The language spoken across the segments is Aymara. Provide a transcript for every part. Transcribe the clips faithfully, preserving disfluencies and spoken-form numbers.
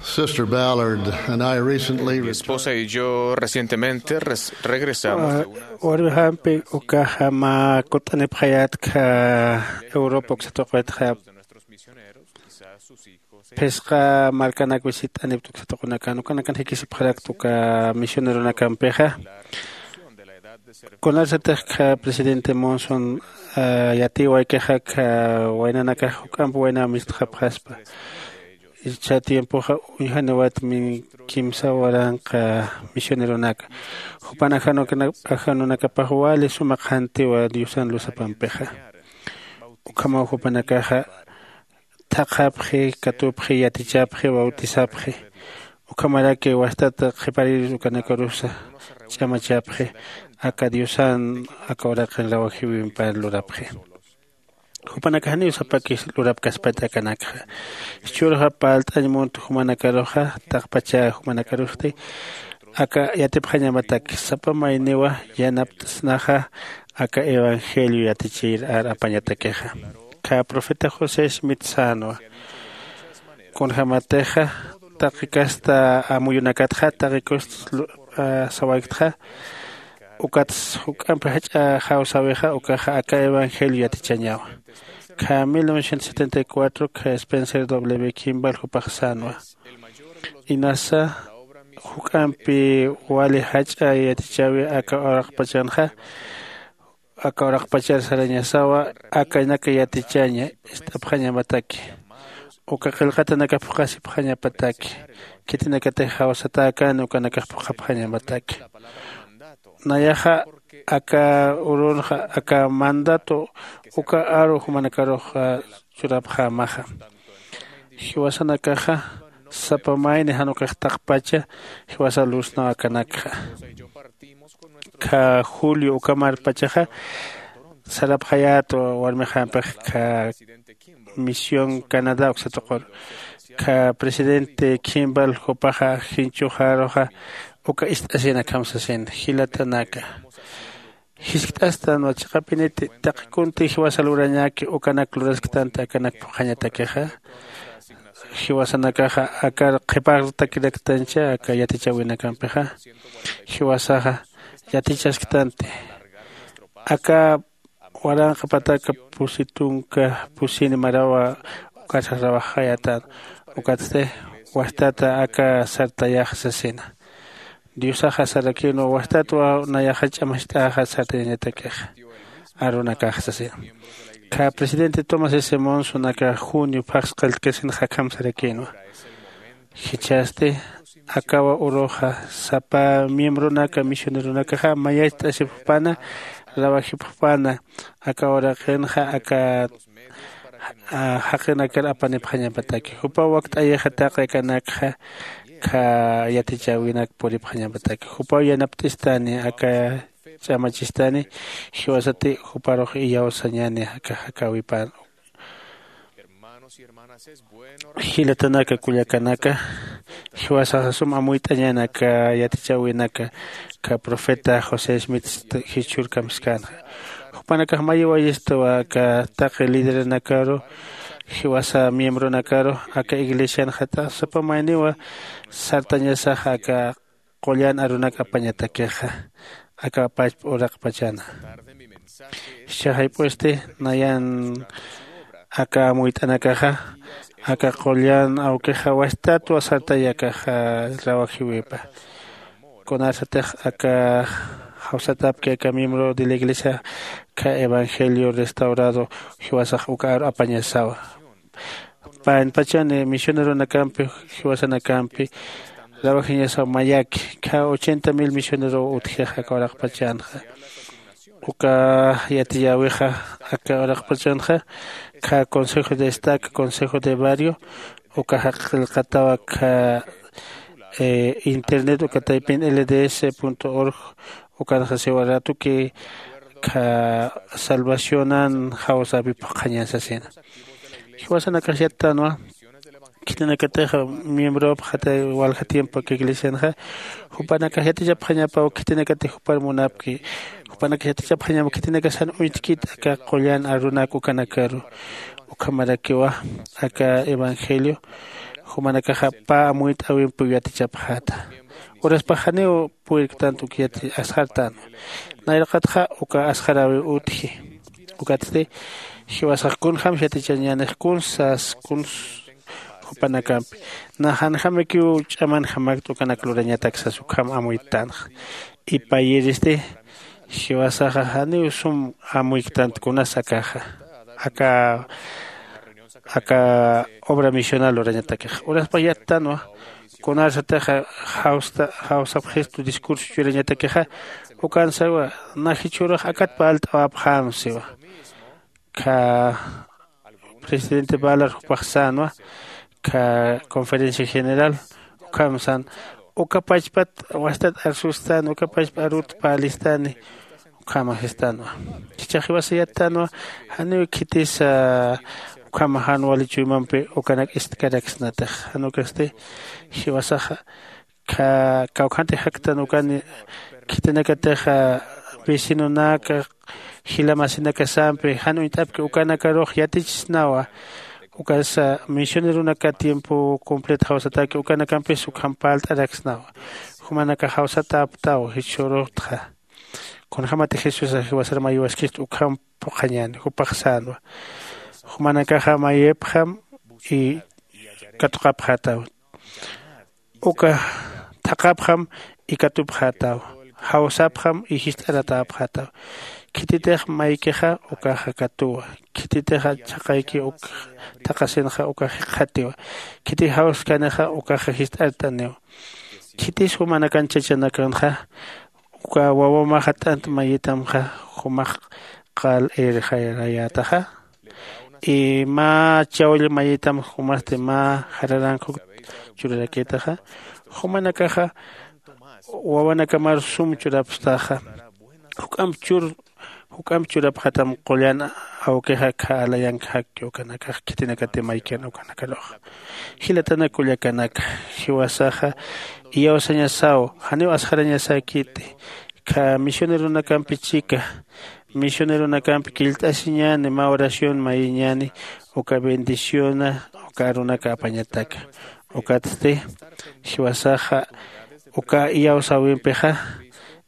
Sister Ballard and I recently Mi esposa y yo recientemente res- regresamos de una warmixampi ukaxa mä kut'anipxayatkha Europa uksatuqitxa. Phisqa markanak visit'anipta uksatuqunakan ukanakan jikisipxarakta uka misioneronakampixa. Kunarsatix kha presidente Monson yatiwaykixa kha waynanakax juk'ampi waynaw mistxapxaspa. Icha tiempoxa uñjaniwat min kimsa waranqa misioneronaka jupan ajanunakapax wali suma qhantiwa diosan luzapampixa. Ukhamaw jupanakaxa thaqhapxi, katupxi, yatichapxi, bautisapxi. Ukhamaraki wastat qhiparir ukanakarusa ch'amachapxi. Aka diosan aka uraqin rawajiwimpar lurapxi. Jupanakax janiw sapakis lurapkaspati akanakxa. Jichhürxa parlt'añ munt jumanakaruxa taqpachä jumanakarusti aka yatipxañamataki sapa mayniwa yanapt'snaxa aka evangelio yatichir ar apañatakixa. Kha profeta josé smith sänwa kunjämatixa taqi kasta amuyunakatxa taqi kust sawayktxa ukats juk'ampi jach'a jawsäwixa ukaxa aka evangelio yatichañawa. Kha mil novecientos setenta y cuatro kha spencer w kimball jupax sänwa inasa juk'ampi wali jach'a yatichäwi aka uraqpachanxa aka uraqpachar sarañasawa akanaka yatichaña ist'apxañamataki uka qillqatanakax phuqhasipxañapataki khitinakatix jawsatäkani ukanakax phuqhapxañamataki. Nayaxa aka urunxa aka mandato uka aru jumanakarux churapxämaxa. Jiwasanakaxa sapa mayni jan ukax taqpacha jiwasa lursnaw akanakxa. Kha julio ukamarpachaxa sarapxayät warmixampix kha misión canadá uksatuqur kha presidente kimball jupaxa jinchuxaruxa uka ist'asin akham sasin jilatanaka jiskt'astanwa chiqapiniti taqi kunti jiwasa lurañäki ukanak lurasktanti akanak phuqhañatakixa. Jiwasanakaxa akar qhipartakiraktancha aka yatichäwinakampixa jiwasaxa yatichasktanti aka waranqa pataka pusi tunka pusini marawa ukatsa rawaxayätän ukatsti wastata aka sartayax sasina. Diosaxa sarakïnwa wastatwa nayaxa ch'amacht'äxa sartayañatakixa arunakax sasina. Kha presidente tomás s monson aka junio phaxs qilltkasinxa akham sarakïnwa jichhasti akawa uruxa sapa miembronaka misioneronakaxa mayacht'asipxpana rawajipxpana aka uraqinxa aka jaqinakar apanipxañapataki jupaw wakt'ayixa taqi akanakxa kha yatichäwinak puripxañapataki jupaw yanapt'istani aka ch'amachistani jiwasati juparux iyawsañani aka jakäwipan. Jilatanaka kullakanaka jiwasaxa sum amuyt'añäni aka yatichäwinaka aka profeta josé smith jichhürkamskänxa. Jupanakax mayiwayistawa aka taqi liderenakaru jiwasa miembronakaru aka iglesianxata sapa mayniwa sartañasaxa aka qullan arunak apañatakixa aka pachpa uraqpachana. Jichha jayp'usti nayan aka amuyt'anakaxa aka qullan awkixa wastatwa sartay akaxa rawajiwipa. Kunarsatix aka jawsatapki aka miembro de la iglesia kha evangelio restaurado jiwasax uka aru apañasawa. Panpachani misioneronakampi jiwasanakampi rawajiñasaw mayaki kha ochenta mil misionerow utjix aka uraqpachanxa. Uka yatiyäwixa aka uraqpachanxa kha consejo de estaca consejo de barrio ukaxa qillqatawa kha internet uka taypin lds org ukanxa siwa ratuki kha salvacionan jawsäpi phuqhañan sasina. Jiwasanakax yattänwa khitinakatix miembropxatay walja tiempo aka iglesianxa jupanakax yatichapxañapaw khitinakatix jupar munapki jupanakax yatichapxañapaw khitinakasan uñtkit aka qullan arunak ukanakaru. Ukhamarakiwa aka evangelio Jumanakaxa pä amuyt'äwimpiw yatichapxäta. Uraspax janiw purirktanti uk yati asxartänwa. Nayraqatxa uka asxaräwiw utji. Ukatsti jiwasax kunjämsa yatichañänix kuns sas kuns jupanakampi. Nax janjämikiw ch'amanjamakta ukanak lurañatak sas ukham amuytänxa. Ipayiristi jiwasaxa janiw sum amuyktanta kunas akaxa aka aka obra misional lurañatakixa uraspax yattänwa. Kunarsatixa jawsapxistu discurso churañatakixa ukansawa. Najichhürux akat parlt'awapxämsiwa. Kha presidente balar jupax sänwa kha conferencia general ukham sän uka pachpat wastat arsustani uka pachpa arut parlistani. Ukhama sistänwa. Jichhax jiwasa yattänwa janiw khitisa ukhama jan wali chuymampi ukanak ist'karaksnatix jan ukasti jiwasaxa kawkhantix jaktan ukani khitinakatixa vecinonaka jila masinakasampi jan uñt'apki ukanakarux yatichisnawa. Ukasa misioneronaka tiempo completo jawsataki ukanakampis ukham parlt'araksnawa. Jumanakax jawsatäptaw jichhürutxa kunjämatix jesusax jiwasar mayiwaskista ukham phuqhañäni jupax sänwa. Jumanakaxa mayipxam y katuqapxätaw. Uka thaqhapxam y katupxätaw. Jawsapxam y jist'aratäpxätaw. Khititix maykixa ukaxa katuwa. Khititixa chhaqayki uk thaqhasinxa ukax jikxatiwa. Khitis jawskanixa ukaxa jist'art'aniwa. Khitis jumanakan chachanakanxa uka wawamaxa t'ant mayitamxa jumax qal irxayarayätaxa. Y mä chawll mayitam jumasti mä jararank jukta churarakïtaxa. Jumanakaxa wawanakamarus sum churapstaxa. Juk'amp chur juk'amp churapxatam qullan awkixa kha alayank jakki ukanakax khitinakati maykan ukanakaruxa. Jilatanak kullakanaka jiwasaxa iyawsañasaw janiw asxarañasäkiti. Kha misioneronakampi chika misioneronakampi killt'asiñäni mä oración mayiñäni uka bendiciona uka arunaka apañataka. Ukatsti jiwasaxa uka iyawsäwimpixa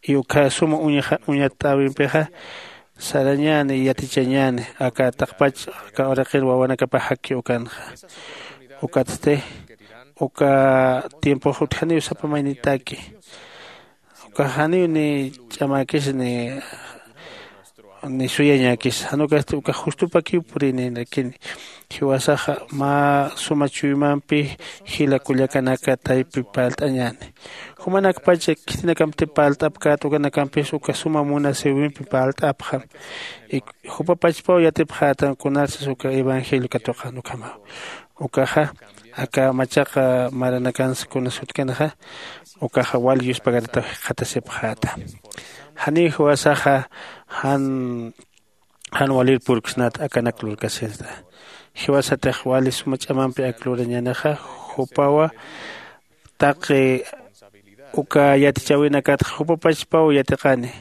y uka suma uñatäwimpixa sarañäni yatichañäni aka taqpach aka uraqir wawanakapax jakki ukanxa. Ukatsti uka tiempox utjaniw sapa maynitaki ukax janiw ni ch'amäkis ni ni suyañäkis jan ukasti ukax justupakiw purïnïnakini. Jiwasaxa mä suma chuymampi jila kullakanaka taypi parlt'añäni. Jumanakpacha khitinakampi parlt'apkät ukanakampis uka suma munasïwimpi parlt'apxam. Jupapachpaw yatipxätan kunarsas uka evangelio katuqan ukhamaw. Ukaxa aka machaqa maranakansa kunas utjkanixa ukaxa wal yuspagarataw jikxatasipxäta. Janiw jiwasaxa jan jan walir purksnat akanak lurkasinsta. Jiwasatix wali suma ch'amampi ak lurañänixa jupawa taqi uka yatichäwinakatxa jupapachpaw yatiqani.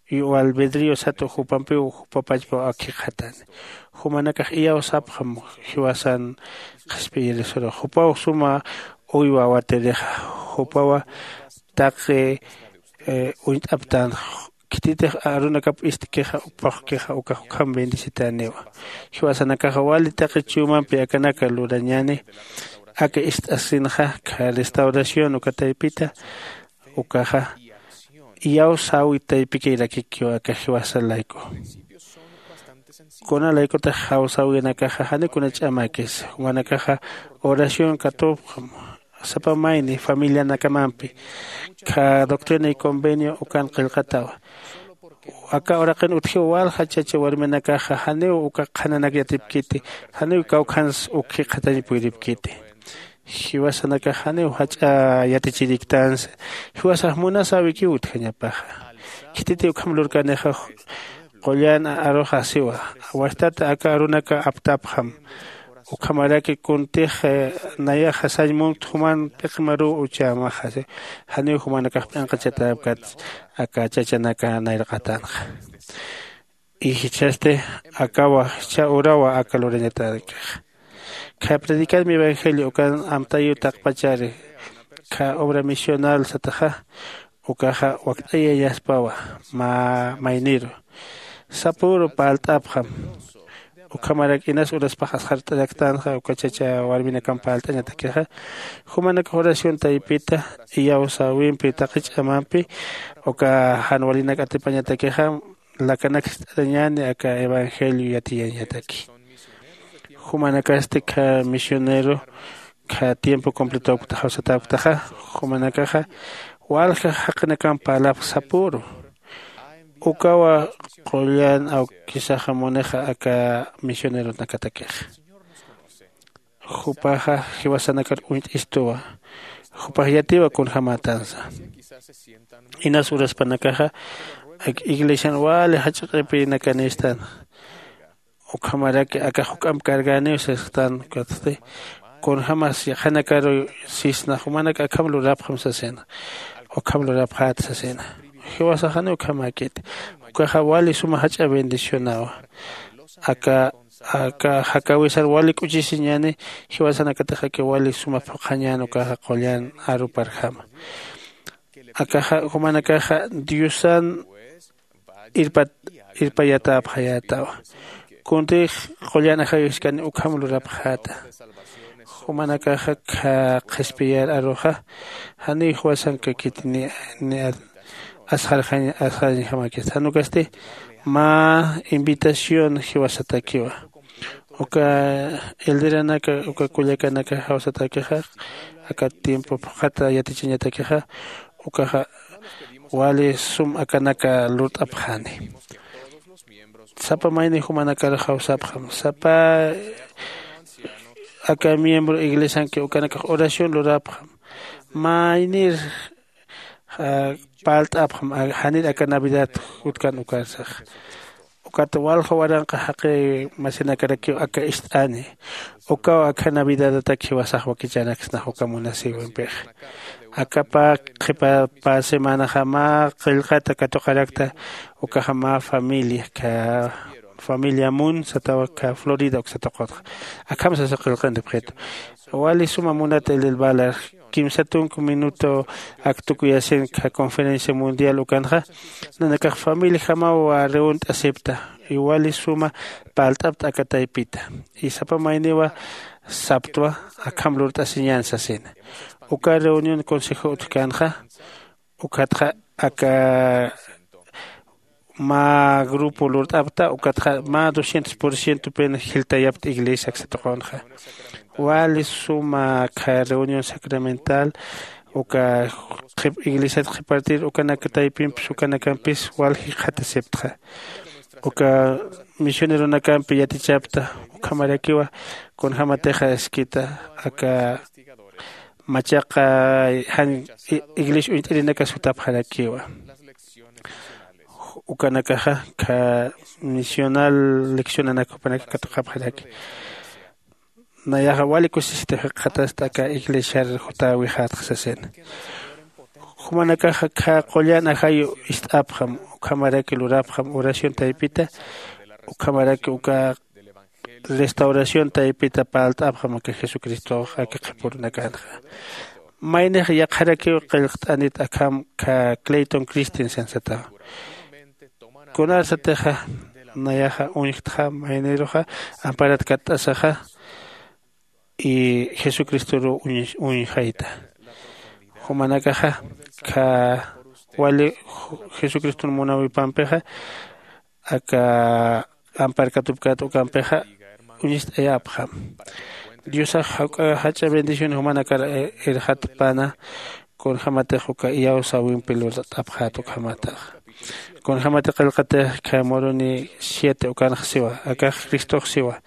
Y albedrio sat jupampiw jupapachpaw ak jikxatani. Jumanakax iyawsapxam jiwasan qhispiyirisuru jupaw suma uywa awatirixa. Jupawa taqi uñt'aptän khititix arunakap ist'kixa phuqkixa ukax ukham bendecitaniwa. Jiwasanakaxa wali taqi chuyamampi akanaka lurañäni aka ist'asinxa kha restauración uka taypita ukaxa iyawsäwi taypikirakikiw aka jiwasa layku. Kuna laykutix jawsäwinakaxa jani kuna ch'amakis jumanakaxa oración katupxam sapa mayni familianakamampi kha doctrina y convenio ukan qillqatawa. Aka uraqin utjiw walja chacha warminakaxa janiw uka qhananak yatipkiti janiw kawkhans uk jikxatañ puyripkiti. Jiwasanakax janiw jach'a yatichiriktansa jiwasax munasäwikiw utjañapaxa. Khititi ukham lurkanixa qullan aruxa siwa wastat aka arunaka aptapxam. Ukhamaraki kuntix nayaxa sañ munt juman p'iqmaruw uchämaxa janiw jumanakax p'inqachatäpkat aka chachanaka nayraqatanxa. Jichhasti akawa jichha urawa aka lurañatäkixa. Kha predicar mi evangelio ukan amtayu taqpachari kha obra misional sataxa ukaxa wakt'ayañaspawa. Mä mayniru sapüru parlt'apxam. Ukhamarak inas uraspax asxart'araktanxa uka chacha warminakamp parlt'añatakixa jumanakax oración taypita iyawsäwimpi taqi ch'amampi uka jan walinak atipañatakixa lakanak ist'arañäni aka evangelio yatiyañataki. Jumanakasti kha misionero kha tiempo completopktaxaw satapktaxa jumanakaxa walja jaqinakamp parlapx sapüru. Ukawa qullan awkisaxa munixa aka misioneronakatakixa. Jupaxa jiwasanakar uñt'istuwa. Jupax yatiwa kunjämatansa. Inas uraspanakaxa ak iglesian wali jach'a q'ipinakanistan. Ukhamaraki akax juk'amp carganiw sisxtan ukatsti kunjämas yaqhanakaru sisna jumanak akham lurapxam sasina. Ukham lurapxät sasina. Jiwasaxani ukhamäkiti. Ukaxa wali suma jach'a bendicionawa. Aka aka jakawisar wali k'uchisiñäni jiwasanakatix aka wali suma phuqhañän ukaxa qullan aruparjama. Akaxa jumanakaxa diosan irpat irpayatäpxayätawa. Kuntix qullan ajayuskani ukham lurapxäta. Jumanakaxa kha qhispiyar aruxa janiw jiwasankakiti ni ni asxarxañ asxarañjamakista jan ukasti mä invitación jiwasatakiwa. Uka elderanaka uka kullakanaka jawsatakixa aka tiempo phuqhata yatichañatakixa ukaxa wali sum akanaka lurt'apxani. Sapa mayni jumanakar jawsapxam sapa aka miembro iglesianki ukanakax oración lurapxam. Maynir parlt'apxam janir aka navidad jutkan ukarsax. Ukat walja waranqa jaqi masinakarakiw aka ist'ani. Ukaw akha navidadatak jiwasax wakichanaksnax uka munasïwimpixa. Aka pä qhipa pä semanaxa mä qillqata katuqarakta. Ukaxa mä familia kha familia mun satawa kha florida uksa tuqutxa. Akham sasa qillqantipxitu. Wali suma munata elel valar kimsa tunka minuto aktukuyasin kha conferencia mundial ukanxa nanakax familiajamaw reunt'asipta. Y wali suma parlt'apta aka taypita. Y sapa mayniwa saptwa akham lurt'asiñän sasina. Uka reunión consejo utjkänxa ukatxa aka mä grupo lurt'apta ukatxa mä doscientos por ciento pena jiltayapta iglesia aksa tuqunxa. Wali suma kha reunión sacramental uka iglesiat qhipartir ukanak taypimpis ukanakampis wal jikxatasiptxa. Uka misioneronakampi yatichapta ukhamarakiwa kunjämatixa iskita aka machaqa jan iglesia uñt'irinaka sutapxarakiwa. Ukanakaxa kha misional leccionanak jupanaka katuqapxaraki. Nayaxa wali kusisita jikxatasta aka iglesiar jutäwixätxa sasina. Jumanakaxa kha qullan ajayu ist'apxam ukhamaraki lurapxam oración taypita ukhamaraki uka restauración taypita parlt'apxam aka jesucristox aka qhipürunakanxa. Maynix yaqharakiw qillqt'anit akham kha clayton christensen satawa. Kunar satixa nayaxa uñjtxa mayniruxa amparat katt'asaxa y jesucristoruw uñjayta. Jumanakaxa kha wali jesucriston munawipampixa aka amparkatupkät ukampixa uñist'ayapxam. Diosax jach'a bendición jumanakar irxatpana kunjämatix uka iyawsäwimpi lurt'apxät ukhamatax. Kunjämati qillqatix kha muruni siete ukanx siwa akax cristox siwa.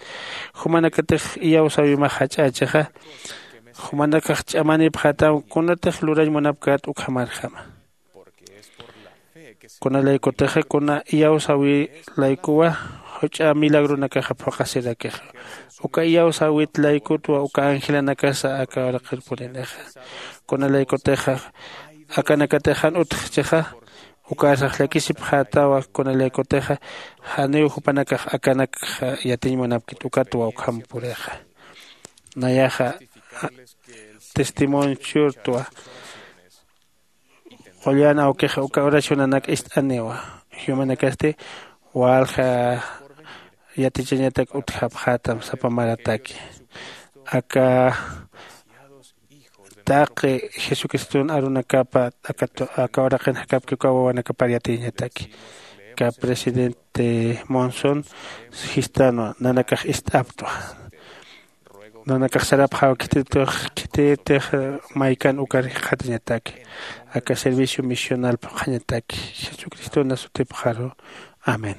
Jumanakatix iyawsäwimax jach'ächixa jumanakax ch'amanipxätam kunatix lurañ munapkät ukhamarjama. Kunalaykutixa kuna iyawsäwi laykuwa juch'a milagronakaxa phuqasirakixa. Uka iyawsäwit laykutwa uka angelanakasa aka uraqirpuninixa. Kunalaykutixa akanakatix jan utjchixa ukarsax llakisipxätawa kunalaykutixa janiw jupanakax akanakxa yatiñ munapkit ukatwa ukham purixa. Nayaxa testimonio churtwa. Qullan awkixa uka oracionanak ist'aniwa. Jiwamanakasti walja yatichañatak utjapxätam sapa marataki. Aka taqi jesucriston arunakapa aka uraqin jakapki uka wawanakapar yatiyañataki. Aka presidente monson jistanwa nanakax ist'aptwa. Nanakax sarapxaw khititix khititix maykan ukar jikxatañataki. Aka servicio misional phuqhañataki jesucriston nasutipxaru. Amén.